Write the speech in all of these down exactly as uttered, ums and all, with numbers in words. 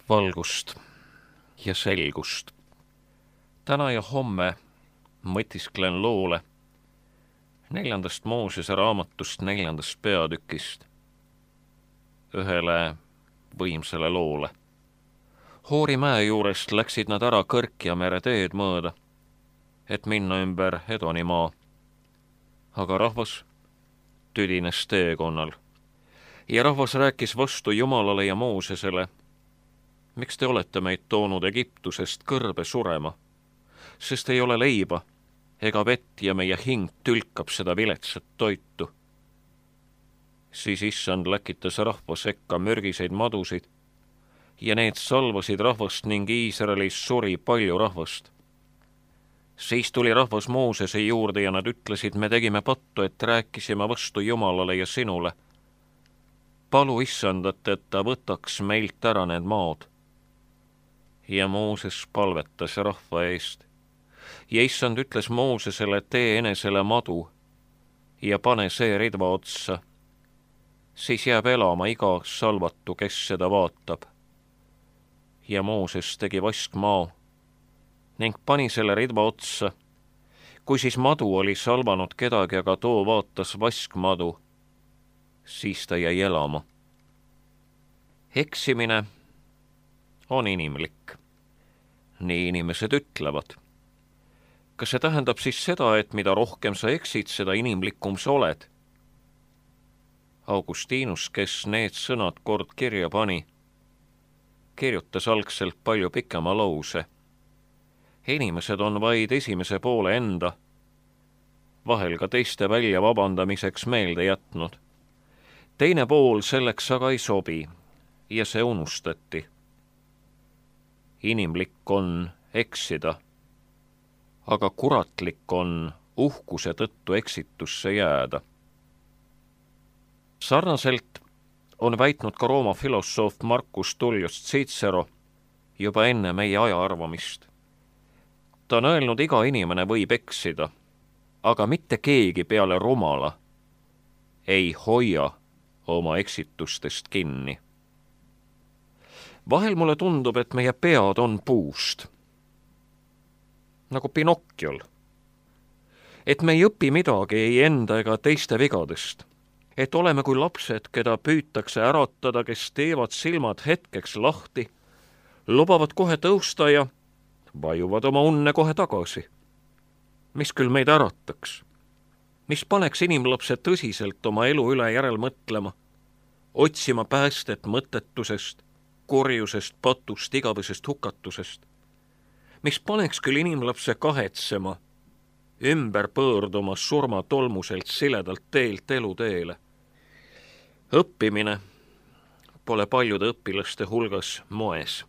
valgust ja selgust. Täna ja homme mõtisklen loole neljandast Moosese raamatust neljandast peatükist, ühele võimsale loole. Hoori mäe juurest läksid nad ära Kõrkjamere teed mööda, et minna ümber Edonimaa. Aga rahvas tüdines teekonnal ja rahvas rääkis vastu Jumalale ja Moosesele: miks te olete meid toonud Egiptusest kõrbe surema, sest ei ole leiba ega vett ja meie hing tülkab seda viletsat toitu. Siis issand läkitas rahva sekka mürgiseid madusid ja need salvasid rahvast ning Iisraelis suri palju rahvast. Siis tuli rahvas Moosese juurde ja nad ütlesid: me tegime pattu, et rääkisime vastu Jumalale ja sinule. Palu issandat, et ta võtaks meilt ära need maad. Ja Mooses palvetas rahva eest. Ja issand ütles Moosesele: tee enesele madu ja pane see ridva otsa. Siis jääb elama iga salvatu, kes seda vaatab. Ja Mooses tegi vaskmaa ning pani selle ridva otsa. Kui siis madu oli salvanud kedagi, aga too vaatas vaskmadu, siis ta jäi elama. Eksimine on inimlik. Nii inimesed ütlevad. Kas see tähendab siis seda, et mida rohkem sa eksid, seda inimlikum sa oled? Augustinus, kes need sõnad kord kirja pani, kirjutas algselt palju pikema lause. Inimesed on vaid esimese poole enda, vahel ka teiste välja vabandamiseks meelde jätnud. Teine pool selleks aga ei sobi ja see unustati. Inimlik on eksida, aga kuratlik on uhkuse tõttu eksitusse jääda. Sarnaselt on väitnud ka Rooma filosoof Marcus Tullius Cicero juba enne meie aja arvamist. Ta on öelnud, iga inimene võib eksida, aga mitte keegi peale rumala ei hoia oma eksitustest kinni. Vahel mulle tundub, et meie pead on puust, nagu Pinocchiol. Et me ei õpi midagi ei enda ega teiste vigadest. Et oleme kui lapsed, keda püütakse äratada, kes teevad silmad hetkeks lahti, lubavad kohe tõusta ja vajuvad oma unne kohe tagasi. Mis küll meid ärataks? Mis paneks inimlapse tõsiselt oma elu üle järel mõtlema, otsima päästet mõttetusest, korjusest, patust, igavesest hukatusest? Mis paneks küll inimlapse kahetsema, ümber pöörduma surma tolmuselt siledalt teelt eluteele? Õppimine pole paljude õpilaste hulgas moes.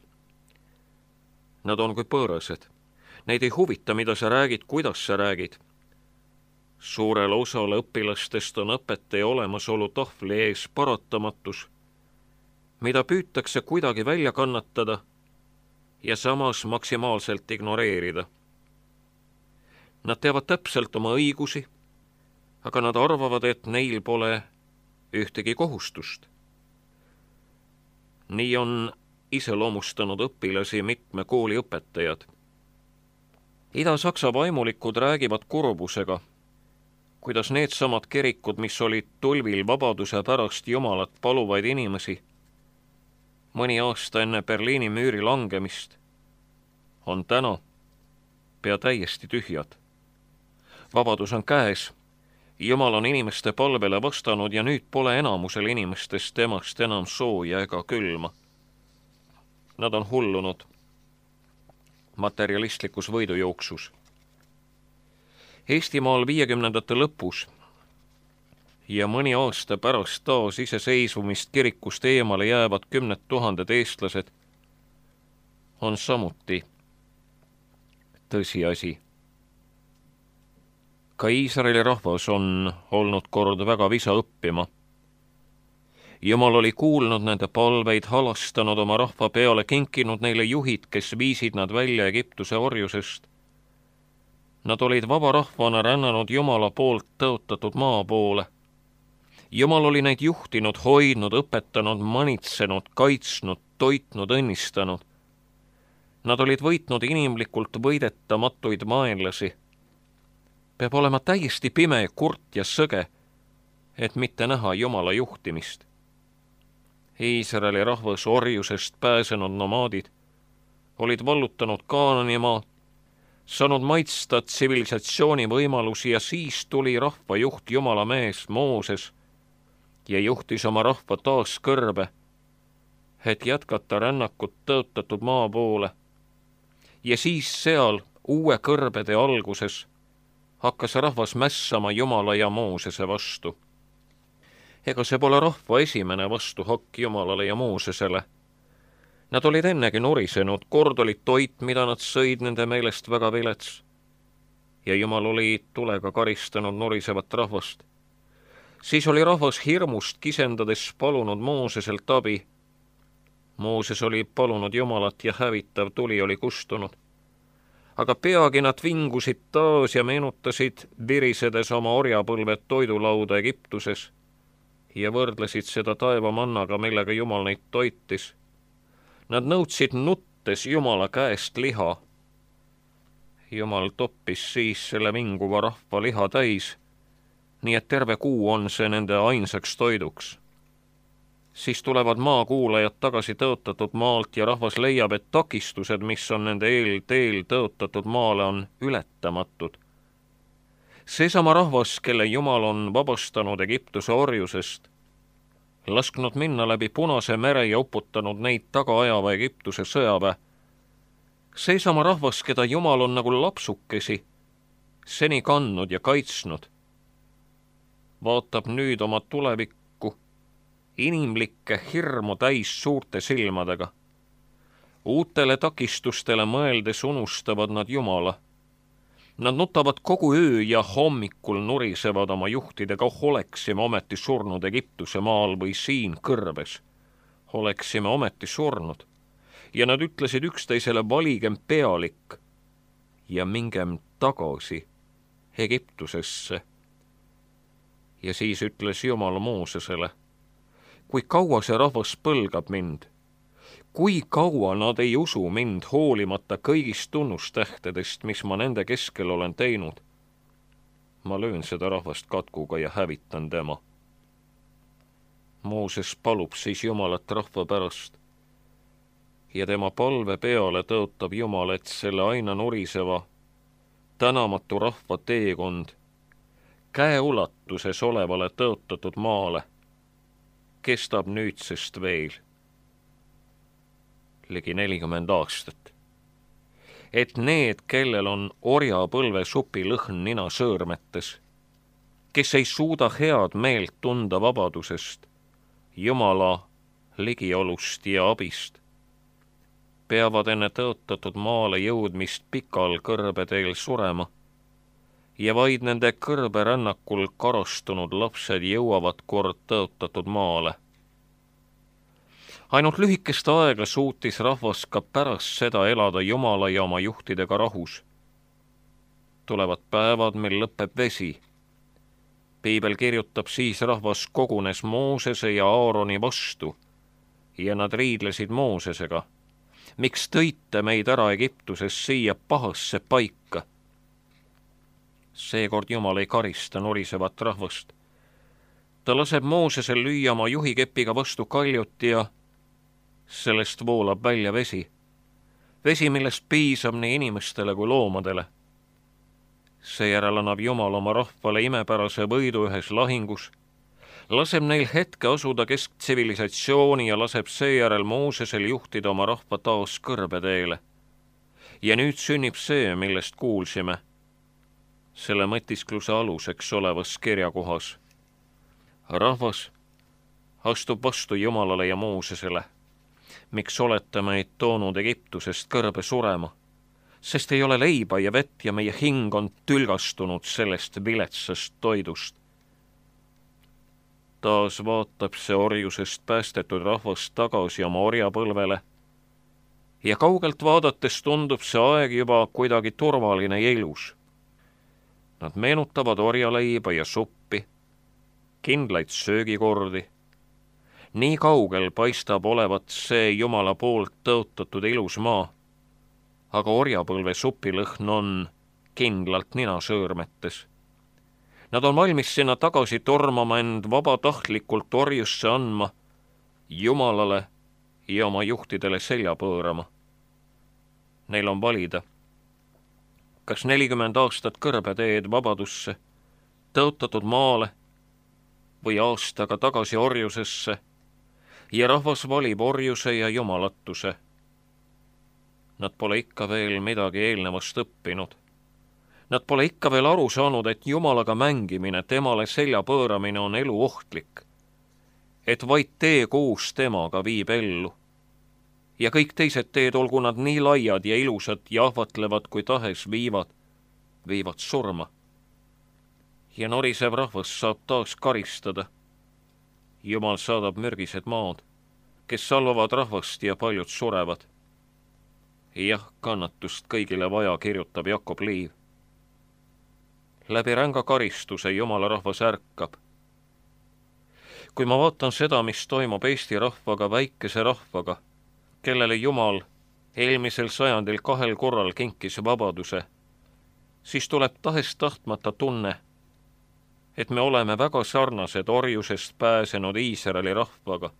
Nad on kui pöörased. Neid ei huvita, mida sa räägid, kuidas sa räägid. Suurel osal õpilastest on õpetaja olemasolu tahvli ees paratamatus, mida püütakse kuidagi välja kannatada ja samas maksimaalselt ignoreerida. Nad teavad täpselt oma õigusi, aga nad arvavad, et neil pole ühtegi kohustust. Nii on iseloomustanud õpilasi mitme kooli õpetajad. Ida-Saksa vaimulikud räägivad kurbusega, kuidas need samad kirikud, mis olid tulvil vabaduse pärast Jumalat paluvaid inimesi, mõni aasta enne Berliini müüri langemist, on täna pea täiesti tühjad. Vabadus on käes, Jumal on inimeste palvele vastanud ja nüüd pole enamusel inimestest temast enam sooja ega külma. Nad on hullunud materialistlikus võidujooksus. Eestimaal viiekümnendate lõpus ja mõni aasta pärast taas iseseisvumist kirikust eemale jäävad kümned tuhanded eestlased on samuti tõsiasi. Ka Iisraeli rahvas on olnud kord väga visa õppima. Jumal oli kuulnud nende palveid, halastanud oma rahva peale, kinkinud neile juhid, kes viisid nad välja Egiptuse orjusest. Nad olid vaba rahvana rännanud Jumala poolt tõotatud maa poole. Jumal oli neid juhtinud, hoidnud, õpetanud, manitsenud, kaitsnud, toitnud, õnnistanud. Nad olid võitnud inimlikult võidetamatuid vaenlasi. Peab olema täiesti pime, kurt ja sõge, et mitte näha Jumala juhtimist. Iisraeli rahvas, orjusest pääsenud nomaadid, olid vallutanud Kaananimaa, saanud maitsta tsivilisatsiooni võimalusi ja siis tuli rahva juht Jumala mees Mooses ja juhtis oma rahva taas kõrbe, et jätkata rännakut tõotatud maa poole. Ja siis seal uue kõrbede alguses hakkas rahvas mässama Jumala ja Moosese vastu. Ega see pole rahva esimene vastuhakk Jumalale ja Moosesele. Nad olid ennegi nurisenud, kord olid toit, mida nad sõid, nende meelest väga vilets. Ja Jumal oli tulega karistanud nurisevat rahvast. Siis oli rahvas hirmust kisendades palunud Mooseselt abi. Mooses oli palunud Jumalat ja hävitav tuli oli kustunud. Aga peagi nad vingusid taas ja meenutasid virisedes oma orjapõlved toidulauda Egiptuses ja võrdlesid seda taevamannaga, millega Jumal neid toitis. Nad nõudsid nuttes Jumala käest liha. Jumal toppis siis selle vinguva rahva liha täis, nii et terve kuu on see nende ainsaks toiduks. Siis tulevad maakuulajad tagasi tõotatud maalt ja rahvas leiab, et takistused, mis on nende eel teel tõotatud maale, on ületamatud. Seesama rahvas, kelle Jumal on vabastanud Egiptuse orjusest, lasknud minna läbi Punase mere ja uputanud neid taga ajava Egiptuse sõjaväe. Seesama rahvas, keda Jumal on nagu lapsukesi seni kandnud ja kaitsnud, vaatab nüüd oma tulevikku inimlikke hirmu täis suurte silmadega. Uutele takistustele mõeldes unustavad nad Jumala. Nad nutavad kogu öö ja hommikul nurisevad oma juhtidega, oleksime ometi surnud Egiptuse maal või siin kõrbes. Oleksime ometi surnud. Ja nad ütlesid üksteisele, valigem pealik ja mingem tagasi Egiptusesse. Ja siis ütles Jumal Moosesele, kui kaua see rahvas põlgab mind, kui kaua nad ei usu mind hoolimata kõigist tunnustähtedest, mis ma nende keskel olen teinud, ma löön seda rahvast katkuga ja hävitan tema. Mooses palub siis Jumalat rahva pärast ja tema palve peale tõotab Jumal, et selle aina nuriseva, tänamatu rahva teekond käeulatuses olevale tõotatud maale kestab nüüdsest veel ligi nelikümmend aastat. Et need, kellel on orjapõlve supi lõhn nina sõõrmetes, kes ei suuda head meelt tunda vabadusest, Jumala ligiolust ja abist, peavad enne tõotatud maale jõudmist pikal kõrbeteel surema ja vaid nende kõrberännakul karastunud lapsed jõuavad kord tõotatud maale. Ainult lühikest aega suutis rahvas ka pärast seda elada Jumala ja oma juhtidega rahus. Tulevad päevad, mil lõpeb vesi. Piibel kirjutab, siis rahvas kogunes Moosese ja Aaroni vastu ja nad riidlesid Moosesega. Miks tõite meid ära Egiptuses siia pahasse paika? Seekord Jumal ei karista nurisevat rahvast. Ta laseb Moosesel lüüa oma juhikepiga vastu kaljut ja sellest voolab välja vesi. Vesi, millest piisab nii inimestele kui loomadele. Seejärel annab Jumal oma rahvale imepärase võidu ühes lahingus, laseb neil hetke asuda kesktsivilisatsiooni ja laseb seejärel Moosesel juhtida oma rahva taas kõrbeteele. Ja nüüd sünnib see, millest kuulsime, selle mõtiskluse aluseks olevas kirjakohas. Rahvas astub vastu Jumalale ja Moosesele. Miks olete meid toonud Egiptusest kõrbe surema? Sest ei ole leiba ja vett ja meie hing on tülgastunud sellest viletsast toidust. Taas vaatab see orjusest päästetud rahvas tagasi oma orjapõlvele ja kaugelt vaadates tundub see aeg juba kuidagi turvaline ja ilus. Nad meenutavad orjaleiba ja suppi, kindlaid söögikordi, Nii kaugel paistab olevat see Jumala poolt tõotatud ilus maa, aga orjapõlve supilõhn on kindlalt ninasöörmetes. Nad on valmis sinna tagasi tormama, end vabatahtlikult orjusse andma, Jumalale ja oma juhtidele selja pöörama. Neil on valida, kas nelikümmend aastat kõrbeteed vabadusse, tõotatud maale või aastaga tagasi orjusesse, ja rahvas valib orjuse ja jumalatuse. Nad pole ikka veel midagi eelnevast õppinud. Nad pole ikka veel aru saanud, et Jumalaga mängimine, temale selja pööramine on elu ohtlik, et vaid tee koos temaga viib ellu. Ja kõik teised teed, olgu nad nii laiad ja ilusad ja ahvatlevad kui tahes, viivad, viivad surma. Ja norisev rahvas saab taas karistada. Jumal saadab mürgised maad, kes salvavad rahvast ja paljud surevad. Jah, kannatust kõigile vaja, kirjutab Jakob Liiv. Läbi ränga karistuse Jumala rahvas ärkab. Kui ma vaatan seda, mis toimub Eesti rahvaga, väikese rahvaga, kellele Jumal eelmisel sajandil kahel korral kinkis vabaduse, siis tuleb tahest tahtmata tunne, et me oleme väga sarnased orjusest pääsenud Iisraeli rahvaga,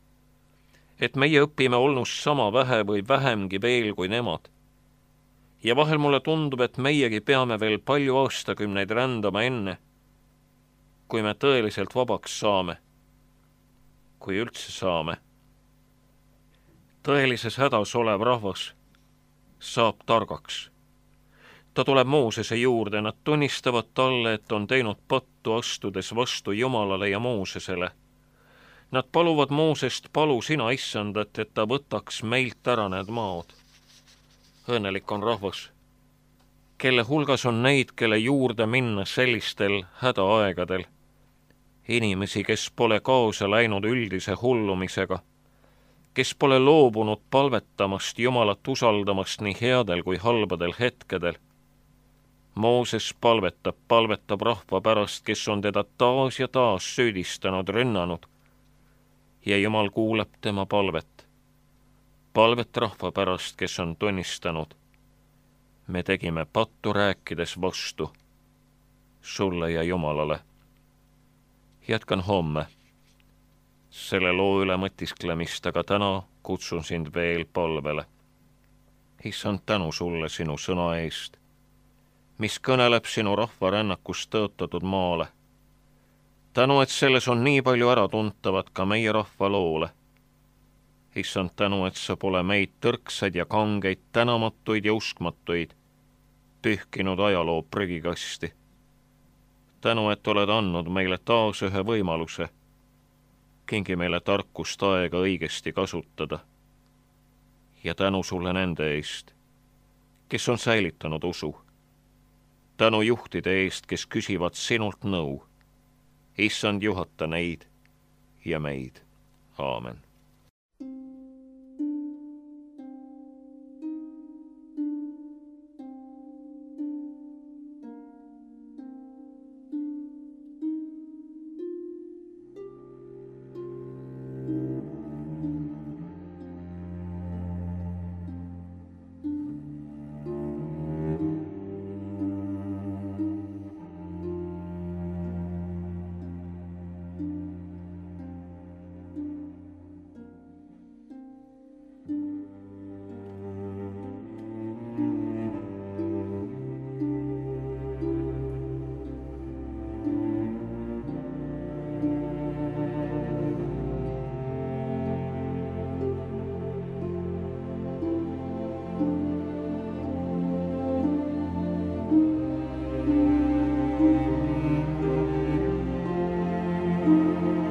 et meie õpime olnust sama vähe või vähemgi veel kui nemad. Ja vahel mulle tundub, et meiegi peame veel palju aastakümneid rändama enne, kui me tõeliselt vabaks saame, kui üldse saame. Tõelises hädas olev rahvas saab targaks. Ta tuleb Moosese juurde, nad tunnistavad talle, et on teinud pattu, astudes vastu Jumalale ja Moosesele. Nad paluvad Moosest, palu sina, issandat, et ta võtaks meilt ära need maad. Õnnelik on rahvas, kelle hulgas on neid, kelle juurde minna sellistel hädaaegadel. Inimesi, kes pole kaasa läinud üldise hullumisega, kes pole loobunud palvetamast, Jumalat usaldamast nii headel kui halbadel hetkedel. Mooses palvetab, palvetab rahva pärast, kes on teda taas ja taas süüdistanud, rünnanud. Ja Jumal kuuleb tema palvet. Palvet rahva pärast, kes on tunnistanud. Me tegime pattu, rääkides vastu sulle ja Jumalale. Jätkan homme selle loo üle mõtisklemist, aga täna kutsun sind veel palvele. Issand, tänu sulle sinu sõna eest, mis kõneleb sinu rahva rännakust tõotatud maale. Tänu, et selles on nii palju äratuntavat ka meie rahva loole. Issand, tänu, et sa pole meid tõrksaid ja kangeid, tänamatuid ja uskmatuid pühkinud ajaloo prügikasti. Tänu, et oled andnud meile taas ühe võimaluse. Kingi meile tarkust aega õigesti kasutada. Ja tänu sulle nende eest, kes on säilitanud usu. Tänu juhtide eest, kes küsivad sinult nõu. Issand, juhata neid ja meid. Aamen. Thank you.